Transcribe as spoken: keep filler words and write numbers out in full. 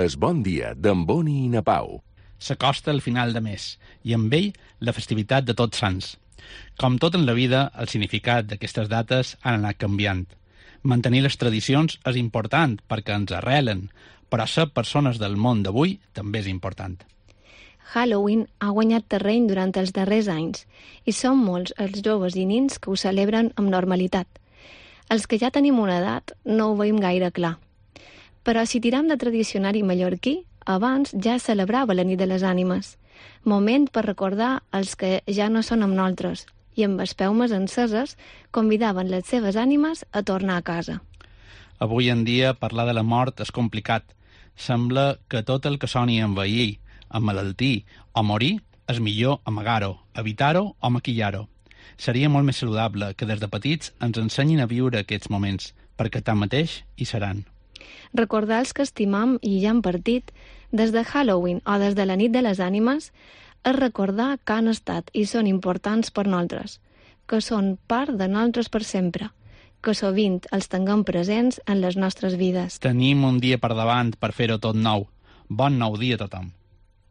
Es Bon Dia d'en Boni i na Pau. S'acosta el final de mes i amb ell la festivitat de Tots Sants. Com tot en la vida, el significat d'aquestes dates han anat canviant. Mantenir les tradicions és important perquè ens arrelen, però ser persones del món d'avui també és important. Halloween ha guanyat terreny durant els darrers anys i són molts els joves i nins que ho celebren amb normalitat. Els que ja tenim una edat no ho veiem gaire clar. Però si tirem de tradicionari mallorquí, abans ja celebrava la nit de les ànimes. Moment per recordar els que ja no són amb nosaltres i amb espeumes enceses convidaven les seves ànimes a tornar a casa. Avui en dia parlar de la mort és complicat. Sembla que tot el que soni envellir, emmalaltir o morir és millor amagar-ho, evitar-ho o maquillar-ho. Seria molt més saludable que des de petits ens ensenyin a viure aquests moments, perquè tanmateix hi seran. Recordar els que estimam i ja han partit, des de Halloween o des de la nit de les ànimes, és recordar que han estat i són importants per nosaltres, que són part de nosaltres per sempre, que sovint els tinguem presents en les nostres vides. Tenim un dia per davant per fer-ho tot nou. Bon nou dia a tothom.